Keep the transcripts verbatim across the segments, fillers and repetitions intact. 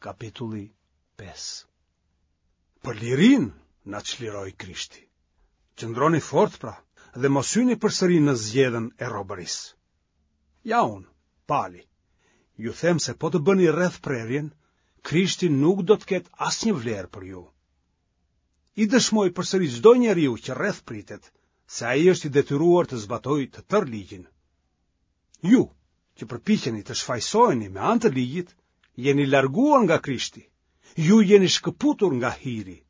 Kapitulli pesë. Për lirinë na çliroi Krishti. Qëndroni fort pra dhe mos hyni përsëri në zgjedhën e robërisë. Ja unë, Pali, ju them se po të bëni rrethprerjen, Krishti nuk do të ketë asnjë vlerë për ju. I dëshmoj përsëri çdo njeriu që rrethpritet, se ai është i detyruar të zbatojë të tërë ligjin. Ju, që përpiqeni të shfajësoheni me anë të ligjit, jeni larguar nga Krishti. Ju jeni shkëputur nga hiri,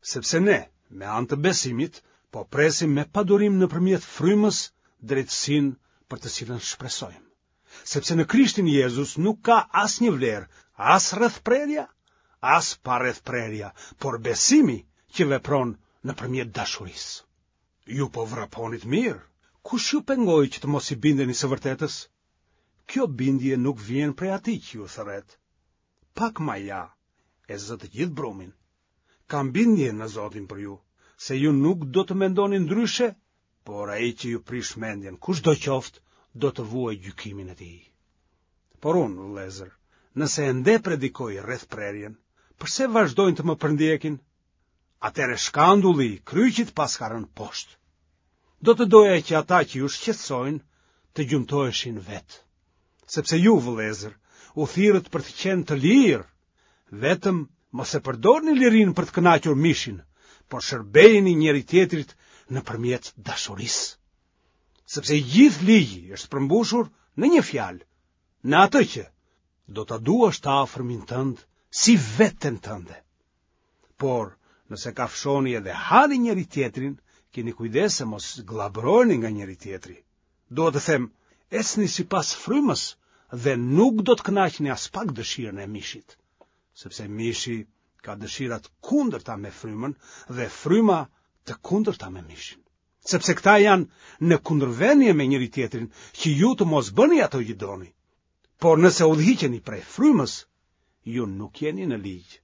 sepse ne, me anë të besimit, po presim me padurim nëpërmjet frymës drejtësinë për të cilën shpresojmë. Sepse në Krishtin Jezus nuk ka asnjë vlerë, as rrethprerja, as parrethprerja, por besimi që vepron nëpërmjet dashurisë. Ju po vraponit mirë, kush ju pengoi që të mos i bindeni së vërtetës? Kjo bindje nuk vjen prej atij që ju thërret. Pak maja e zë të gjithë brumin. Kam bindje në Zotin për ju, se ju nuk do të mendoni ndryshe, por ai që ju prish mendjen, kushdo qoftë, do të vuajë gjykimin e tij. Por unë, vëllezër, nëse ende predikoj rrethprerjen, përse vazhdojnë të më përndjekin? Atëherë shkandulli i kryqit paska rënë poshtë. Do të doja që ata që ju shqetësojnë të gjymtoheshin vetë. Sepse ju, vëllezër, u thirrët për të qenë të lirë, vetëm mos e përdorni lirinë për të kënaqur mishin, por shërbejini njëri-tjetrit nëpërmjet dashurisë. Sepse i gjithë ligji është përmbushur në një fjalë, në atë që do ta duash të afërmin tënd si veten tënde. Por, nëse kafshoni edhe hani njëri-tjetrin, kini kujdes se mos gllabëroheni nga njëri-tjetri. Dua të them, ecni sipas frymës dhe nuk do të kënaqni aspak dëshirën e mishit, sepse mishi ka dëshira të kundërta me frymën dhe fryma të kundërta me mishin. Sepse këta janë në kundërvënie me njëri-tjetrin, që ju të mos bëni ato që doni. Por nëse udhëhiqeni prej frymës, ju nuk jeni në ligj.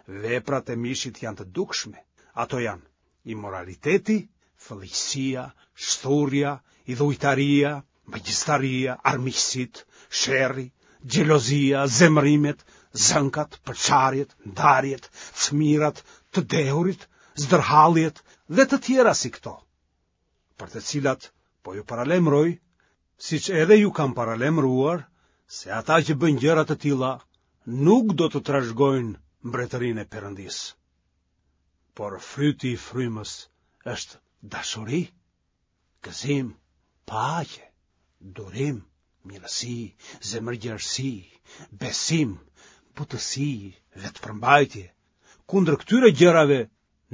Veprat e mishit janë të dukshme. Ato janë imoraliteti, fëlliqësia, shthurja, idhujtaria, magjistaria, armiqësitë, sherri, xhelozia, zemërimet, zënkat, përçarjet, ndarjet, cmirat, të dehurit, zdërhalljet dhe të tjera si këto, për të cilat po ju paralajmëroj, siç edhe ju kam paralajmëruar, se ata që bëjnë gjëra të tilla nuk do të trashëgojnë mbretërinë e Perëndisë. Por fryti i frymës është dashuri, gëzim, paqe, durim, mirësi, zemërgjerësi, besim, butësi, vetëpërmbajtje. Kundër këtyre gjërave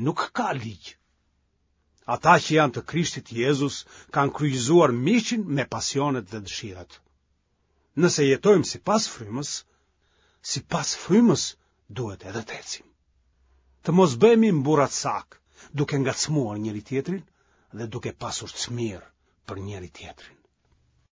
nuk ka ligj. Ata që janë të Krishtit Jezus kanë kryqëzuar mishin me pasionet dhe dëshirat. Nëse jetojmë sipas frymës, sipas frymës duhet edhe të ecim. Të mos bëhemi mburracakë, duke ngacmuar njëri-tjetrin dhe duke pasur cmirë për njëri-tjetrin.